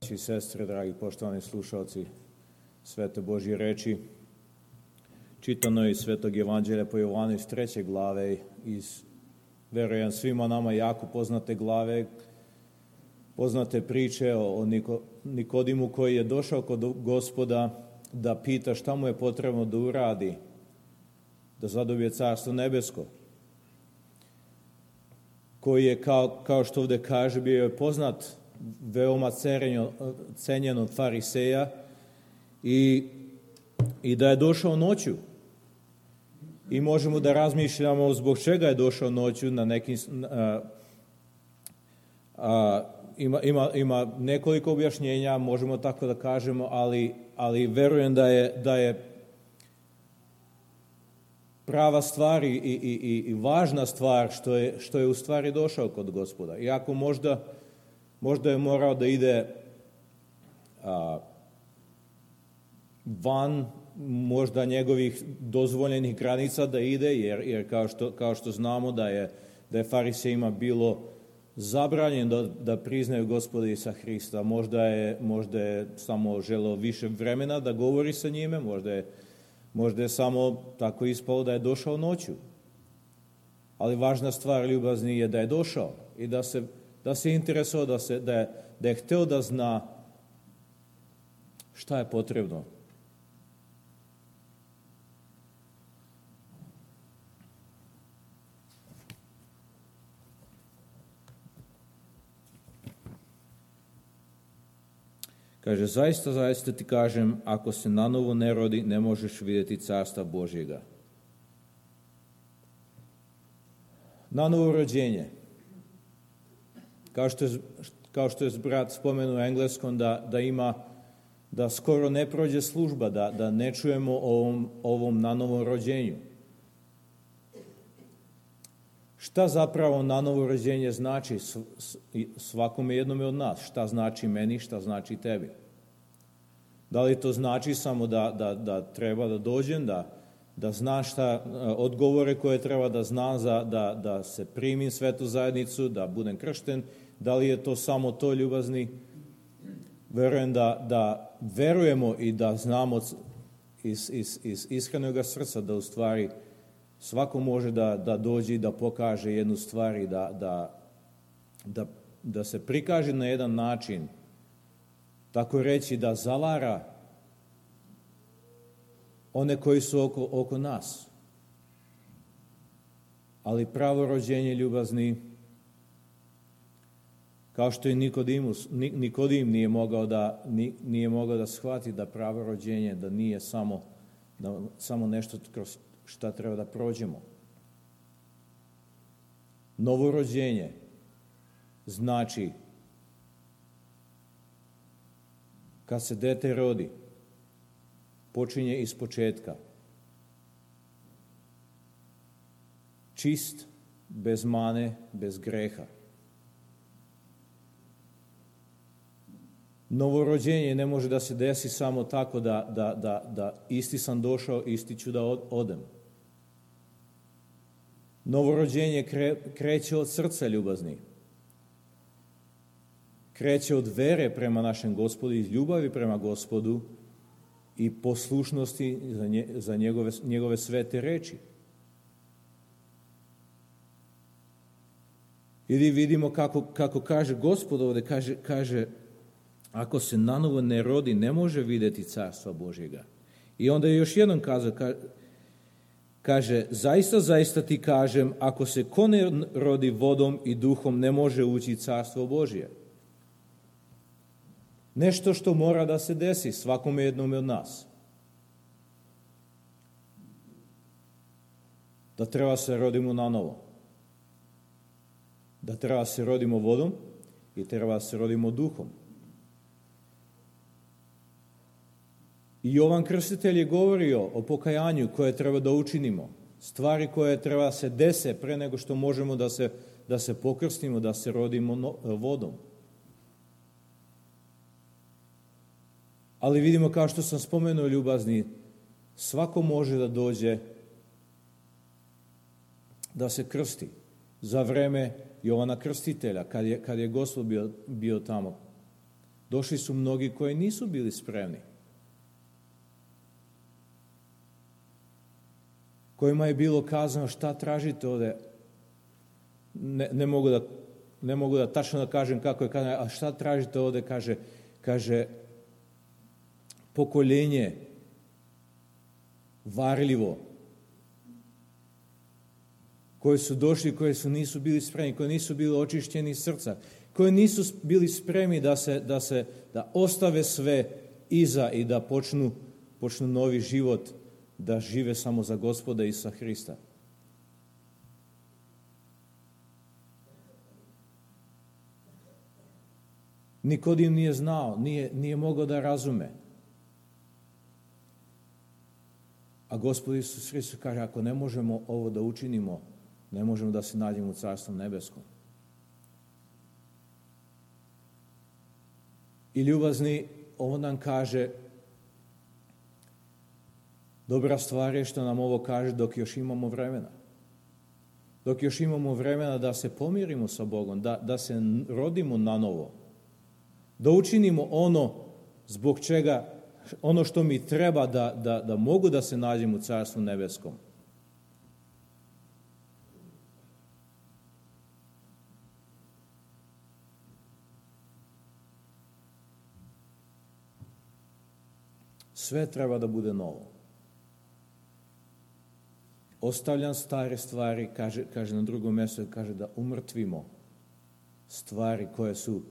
braći i sestre, dragi poštovani slušalci Svete Božje reči, čitano iz Svetog Evanđelja po Jovanu iz 3. glave, iz, verujem, svima nama jako poznate glave, poznate priče o Nikodimu koji je došao kod Gospoda da pita šta mu je potrebno da uradi, da zadobije Carstvo nebesko, koji je, kao što ovdje kaže, bio je poznat, veoma cenjen od fariseja i da je došao noću. I možemo da razmišljamo zbog čega je došao noću, na nekim... Ima nekoliko objašnjenja, možemo tako da kažemo, ali verujem da je prava stvar i važna stvar što je u stvari došao kod Gospoda. Iako možda je morao da ide van možda njegovih dozvoljenih granica da ide, jer kao što znamo da je farisejima bilo zabranjeno da priznaju Gospoda Isusa Hrista. Možda je samo želeo više vremena da govori sa njime, možda je samo tako ispalo da je došao noću. Ali važna stvar, ljubazni, je da je došao i da se interesovao, da je hteo da zna šta je potrebno. Kaže, zaista ti kažem, ako se nanovo ne rodi, ne možeš vidjeti Carstva Božjega. Nanovo rođenje. Kao što je brat spomenuo u engleskom, da skoro ne prođe služba, da ne čujemo o ovom nanovom rođenju. Šta zapravo nanovo rođenje znači svakome jednome od nas? Šta znači meni, šta znači tebi? Da li to znači samo da treba da dođem, da znaš šta odgovore koje treba da znam da se primim svetu zajednicu, da budem kršten? Da li je to samo to, ljubazni? Verujem da verujemo i da znamo iz iskrenog srca da u stvari svako može da dođe i da pokaže jednu stvar i da se prikaže na jedan način, tako reći, da zavara one koji su oko nas. Ali pravo rođenje, ljubazni, kao što i Nikodim nije mogao da shvati da pravo rođenje, da nije samo nešto kroz šta treba da prođemo. Novo rođenje znači kad se dete rodi, počinje iz početka. Čist, bez mane, bez greha. Novorođenje ne može da se desi samo tako da isti sam došao, isti ću da odem. Novorođenje kreće od srca, ljubazni. Kreće od vere prema našem Gospodu, iz ljubavi prema Gospodu i poslušnosti za njegove svete reči. I vidimo kako kaže Gospod ovdje, kaže ako se nanovo ne rodi, ne može vidjeti Carstva Božjega. I onda je još jednom kazao, kaže, zaista ti kažem, ako se ko ne rodi vodom i duhom, ne može ući Carstvo Božje. Nešto što mora da se desi svakome jednome od nas. Da treba se rodimo nanovo. Da treba se rodimo vodom i treba se rodimo duhom. I Jovan Krstitelj je govorio o pokajanju koje treba da učinimo. Stvari koje treba se dese pre nego što možemo da se pokrstimo, da se rodimo vodom. Ali vidimo, kao što sam spomenuo, ljubazni, svako može da dođe da se krsti. Za vreme Jovana Krstitelja, kad je Gospod bio tamo. Došli su mnogi koji nisu bili spremni. Kojima je bilo kazano šta tražite ovde. Ne mogu da tačno da kažem kako je kazano, a šta tražite ovde, kaže pokoljenje varljivo, koji su došli, koji nisu bili spremni, koji nisu bili očišćeni srca, koji nisu bili spremni da ostave sve iza i da počnu novi život, da žive samo za Gospoda Isusa Hrista. Nikodim nije znao, nije mogao da razume. A Gospod Isus Hristos kaže, ako ne možemo ovo da učinimo, ne možemo da se nađemo u Carstvu nebeskom. I ljubazni, ovo nam kaže, dobra stvar je što nam ovo kaže dok još imamo vremena. Dok još imamo vremena da se pomirimo sa Bogom, da se rodimo na novo. Da učinimo ono zbog čega, ono što mi treba da mogu da se nađem u Carstvu nebeskom. Sve treba da bude novo. Ostavljam stare stvari, kaže na drugom mjestu, kaže da umrtvimo stvari koje su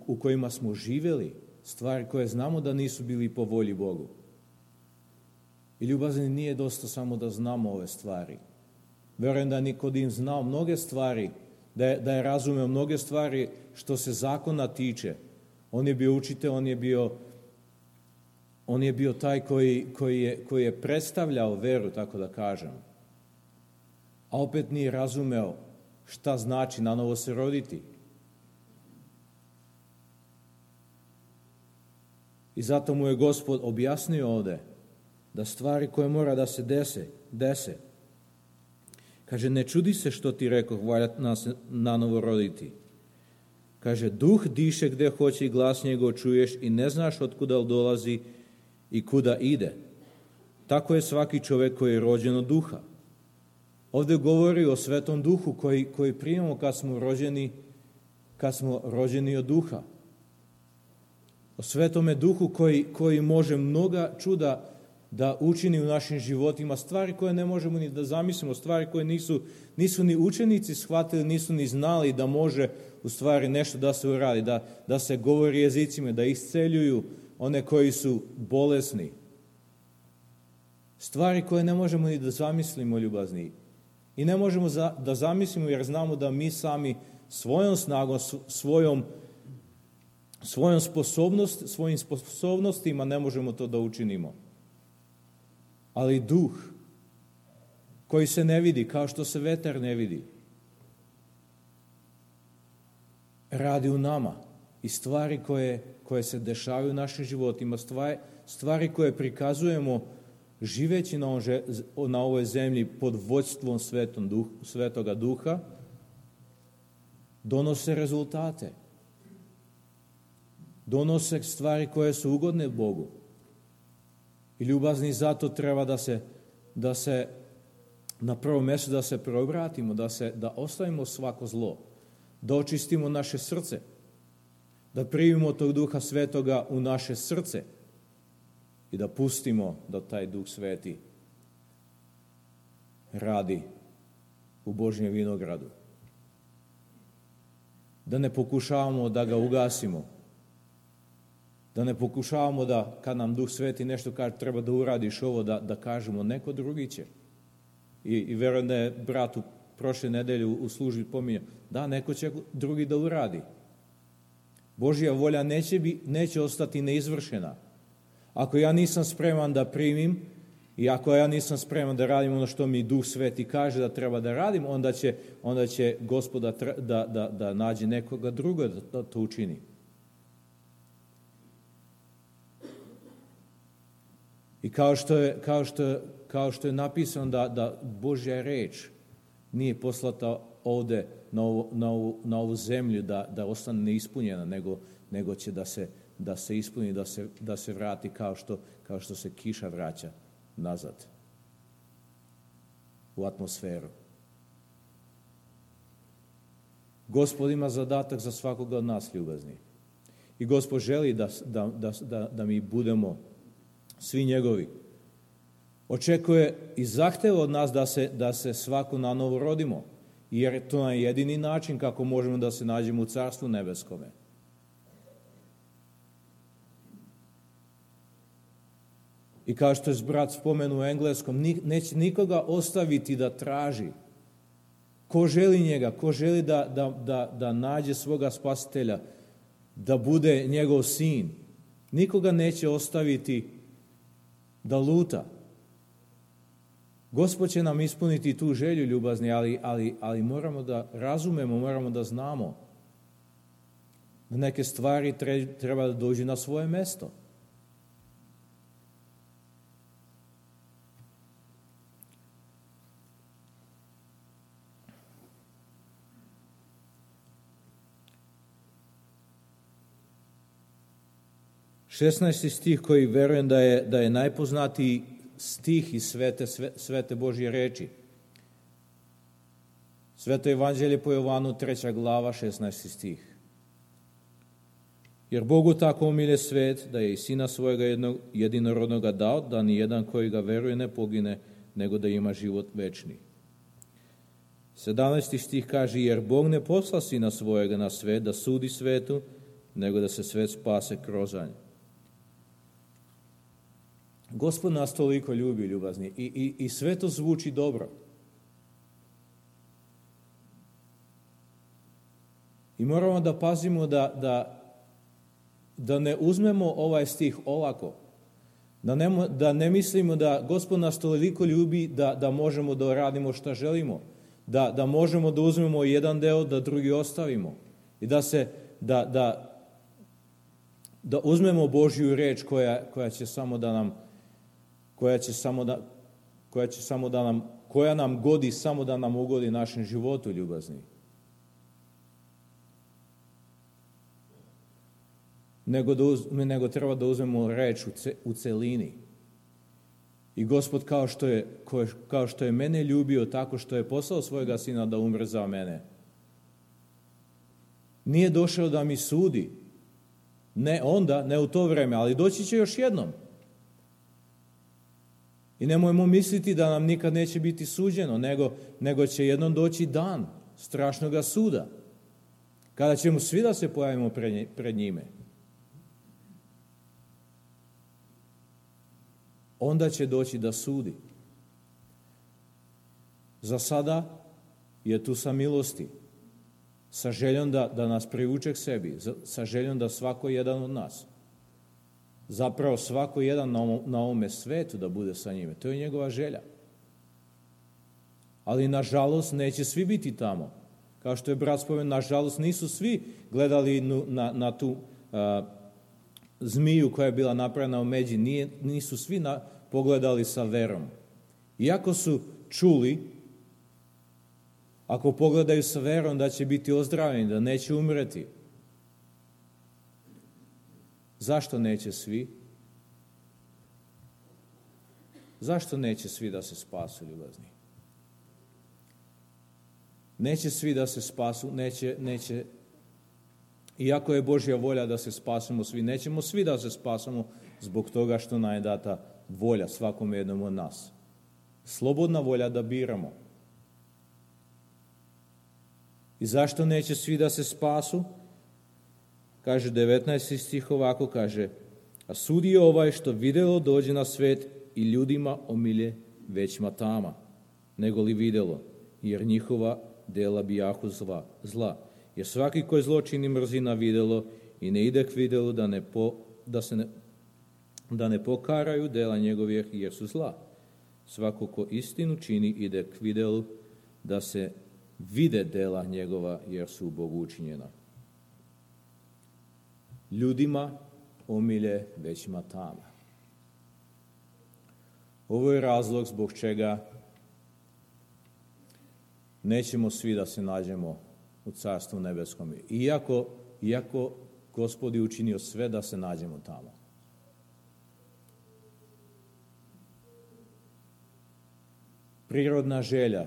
u kojima smo živjeli, stvari koje znamo da nisu bili po volji Bogu. I ljubazni, nije dosta samo da znamo ove stvari. Verujem da Nikodim znao mnoge stvari, da je razumeo mnoge stvari što se zakona tiče. On je bio učitelj, on je bio taj koji je predstavljao veru, tako da kažem. A opet nije razumeo šta znači nanovo se roditi. I zato mu je Gospod objasnio ovde da stvari koje mora da se dese. Kaže, ne čudi se što ti rekoh, valja nas nanovo roditi. Kaže, duh diše gde hoće i glas njegov čuješ i ne znaš otkuda dolazi i kuda ide. Tako je svaki čovjek koji je rođen od duha. Ovdje govori o Svetom Duhu koji primamo kad smo rođeni od duha. O Svetome Duhu koji može mnoga čuda da učini u našim životima, stvari koje ne možemo ni da zamislimo, stvari koje nisu ni učenici shvatili, nisu ni znali da može u stvari nešto da se uradi, da se govori jezicima, da isceljuju one koji su bolesni. Stvari koje ne možemo ni da zamislimo, ljubazni. I ne možemo da zamislimo jer znamo da mi sami svojom snagom, svojim sposobnostima ne možemo to da učinimo. Ali duh koji se ne vidi, kao što se vetar ne vidi, radi u nama i stvari koje se dešavaju u našim životima, stvari koje prikazujemo živeći na ovoj zemlji pod vođstvom Svetoga Duha, donose rezultate. Donose stvari koje su ugodne Bogu. I ljubazni, zato treba da se na prvom mjestu da se preobratimo, da ostavimo svako zlo, da očistimo naše srce, da primimo tog Duha Svetoga u naše srce i da pustimo da taj Duh Sveti radi u Božjem vinogradu. Da ne pokušavamo da ga ugasimo, da ne pokušavamo da kad nam Duh Sveti nešto kaže treba da uradiš ovo, da kažemo neko drugi će. I verujem da je brat u prošle nedelje u službi pominjao, da neko će drugi da uradi. Božja volja neće ostati neizvršena. Ako ja nisam spreman da primim i ako ja nisam spreman da radim ono što mi Duh Sveti kaže da treba da radim, onda će Gospod da nađe nekoga druga da to učini. I kao što je napisano da Božja reč nije poslata ovde na ovu zemlju da ostane neispunjena, nego će da se ispuni, da se vrati kao što se kiša vraća nazad u atmosferu. Gospod ima zadatak za svakoga od nas, ljubazni. I Gospod želi da mi budemo svi njegovi. Očekuje i zahteva od nas da se svako na novo rodimo, jer to je jedini način kako možemo da se nađemo u Carstvu nebeskome. I kao što je brat spomenuo u engleskom, neće nikoga ostaviti da traži. Ko želi njega, ko želi da nađe svoga spasitelja, da bude njegov sin, nikoga neće ostaviti da luta. Gospod će nam ispuniti tu želju, ljubazni, ali moramo da razumemo, moramo da znamo da neke stvari treba da dođu na svoje mesto. Šesnaesti stih koji verujem da je najpoznatiji stih iz svete Božje reči. Sveto evanđelje po Jovanu, 3. glava, 16. stih. Jer Bogu tako umilje svet, da je i Sina svojega jedinorodnoga dao, da ni jedan koji ga veruje ne pogine, nego da ima život večni. 17. stih kaže, jer Bog ne posla Sina svojega na svet da sudi svetu, nego da se svet spase kroz nj. Gospod nas toliko ljubi, ljubazni, i sve to zvuči dobro. I moramo da pazimo da ne uzmemo ovaj stih olako, da ne mislimo da Gospod nas toliko ljubi da možemo da radimo šta želimo, da možemo da uzmemo jedan deo, da drugi ostavimo i da uzmemo Božju reč koja nam godi samo da nam ugodi našem životu, ljubazni. Nego treba da uzmemo reč u celini. I Gospod kao što je mene ljubio tako što je poslao svojega Sina da umre za mene, nije došao da mi sudi. Ne onda, ne u to vreme, ali doći će još jednom. I nemojmo misliti da nam nikad neće biti suđeno, nego će jednom doći dan strašnoga suda, kada ćemo svi da se pojavimo pred njime. Onda će doći da sudi. Za sada je tu sa milosti, sa željom da nas privuče k sebi, sa željom da svako jedan od nas, zapravo svako jedan na ovome svetu da bude sa njime. To je njegova želja. Ali nažalost neće svi biti tamo. Kao što je brat spomenuo, nažalost nisu svi gledali na tu zmiju koja je bila napravljena u međi, nisu svi pogledali sa verom. Iako su čuli, ako pogledaju sa verom da će biti ozdravljeni, da neće umreti. Zašto neće svi? Zašto neće svi da se spasu, ljubazni? Neće svi da se spasu, neće. Iako je Božja volja da se spasimo svi, nećemo svi da se spasimo zbog toga što nam je data volja svakom jednom od nas. Slobodna volja da biramo. I zašto neće svi da se spasu? Kaže 19. stih ovako, kaže, a sudi je ovaj što videlo dođe na svet i ljudima omilje većma tama, nego li videlo, jer njihova dela bijahu zla. Jer svaki koji zlo čini mrzi na videlo i ne ide k videlu da ne pokaraju dela njegovih jer su zla. Svako ko istinu čini ide k videlu da se vide dela njegova jer su u Bogu učinjena. Ljudima omilje većma tama. Ovo je razlog zbog čega nećemo svi da se nađemo u Carstvu nebeskom. Iako Gospod je učinio sve da se nađemo tamo. Prirodna želja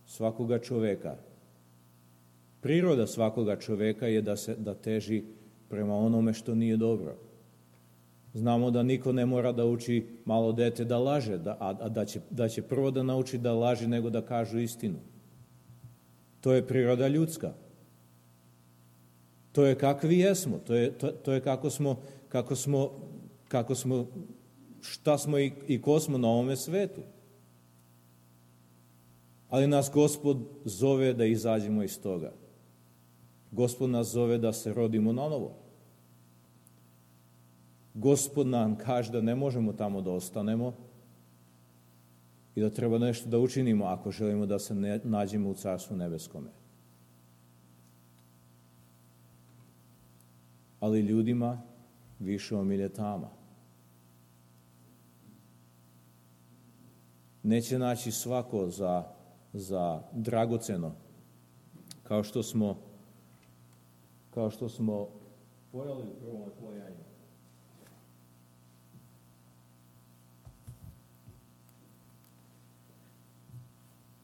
svakoga čoveka, priroda svakoga čoveka je da teži prema onome što nije dobro. Znamo da niko ne mora da uči malo dete da laže, da će prvo da nauči da laže nego da kažu istinu. To je priroda ljudska. To je kakvi jesmo, to je kako smo, šta smo i ko smo na ovome svetu. Ali nas Gospod zove da izađemo iz toga. Gospod nas zove da se rodimo nanovo. Gospod nam kaže da ne možemo tamo da ostanemo i da treba nešto da učinimo ako želimo da se nađemo u Carstvu nebeskome. Ali ljudima više omilje tama. Neće naći svako za dragoceno, kao što smo pojeli u prvom otvojanju.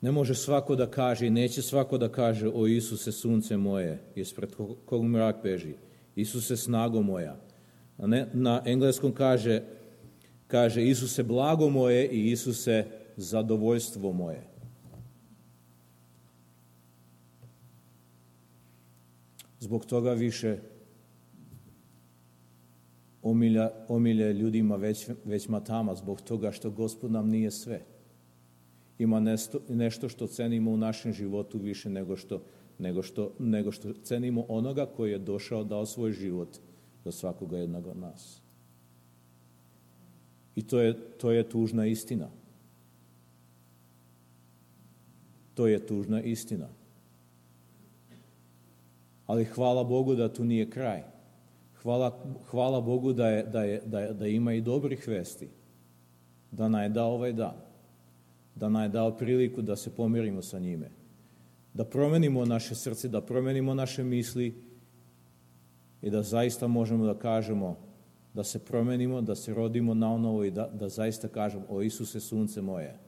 Ne može svako da kaže i neće svako da kaže: o Isuse, sunce moje, ispred kog mrak beži. Isuse, snago moja. Na engleskom kaže Isuse, blago moje i Isuse, zadovoljstvo moje. Zbog toga više omilje ljudima već matama, zbog toga što Gospod nam nije sve. Ima nešto što cenimo u našem životu više nego što cenimo onoga koji je došao, dao svoj život za svakoga jednog od nas. I to je tužna istina. To je tužna istina. Ali hvala Bogu da tu nije kraj. Hvala Bogu da ima i dobrih vesti. Da nam je dao ovaj dan. Da nam je dao priliku da se pomirimo sa njime. Da promenimo naše srce, da promenimo naše misli i da zaista možemo da kažemo, da se promenimo, da se rodimo nanovo i da zaista kažemo: o Isuse, sunce moje.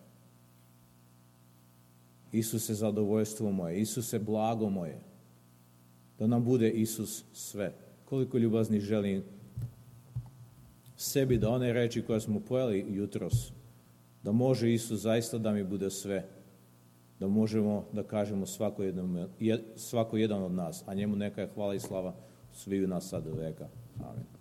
Isuse, zadovoljstvo moje. Isuse, blago moje. Da nam bude Isus sve. Koliko ljubazni želim sebi da one reči koje smo pojeli jutros, da može Isus zaista da mi bude sve, da možemo da kažemo svako jedan od nas, a njemu neka je hvala i slava sviju nas sad do veka. Amen.